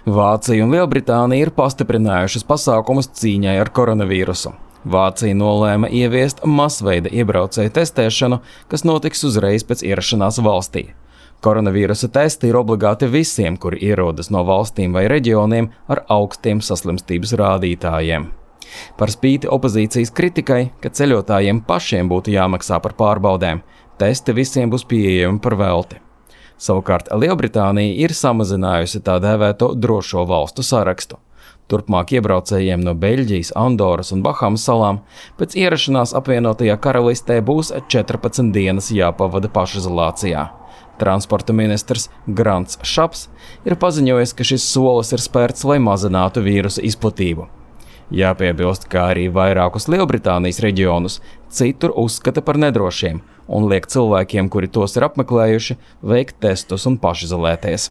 Vācija un Lielbritānija ir pastiprinājušas pasākumus cīņai ar koronavīrusu. Vācija nolēma ieviest masveida iebraucēju testēšanu, kas notiks uzreiz pēc ierašanās valstī. Koronavīrusa testi ir obligāti visiem, kuri ierodas no valstīm vai reģioniem ar augstiem saslimstības rādītājiem. Par spīti opozīcijas kritikai, ka ceļotājiem pašiem būtu jāmaksā par pārbaudēm, testi visiem būs pieejami par velti. Savukārt Lielbritānija ir samazinājusi tā dēvēto drošo valstu sarakstu. Turpmāk iebraucējiem no Beļģijas, Andoras un Bahamas salām pēc ierašanās apvienotajā karalistē būs 14 dienas jāpavada pašizolācijā. Transporta ministrs Grants Šaps ir paziņojis, ka šis solis ir spērts, lai mazinātu vīrusa izplatību. Jāpiebilst, ka arī vairākus Lielbritānijas reģionus citur uzskata par nedrošiem un liek cilvēkiem, kuri tos ir apmeklējuši, veikt testus un pašizolēties.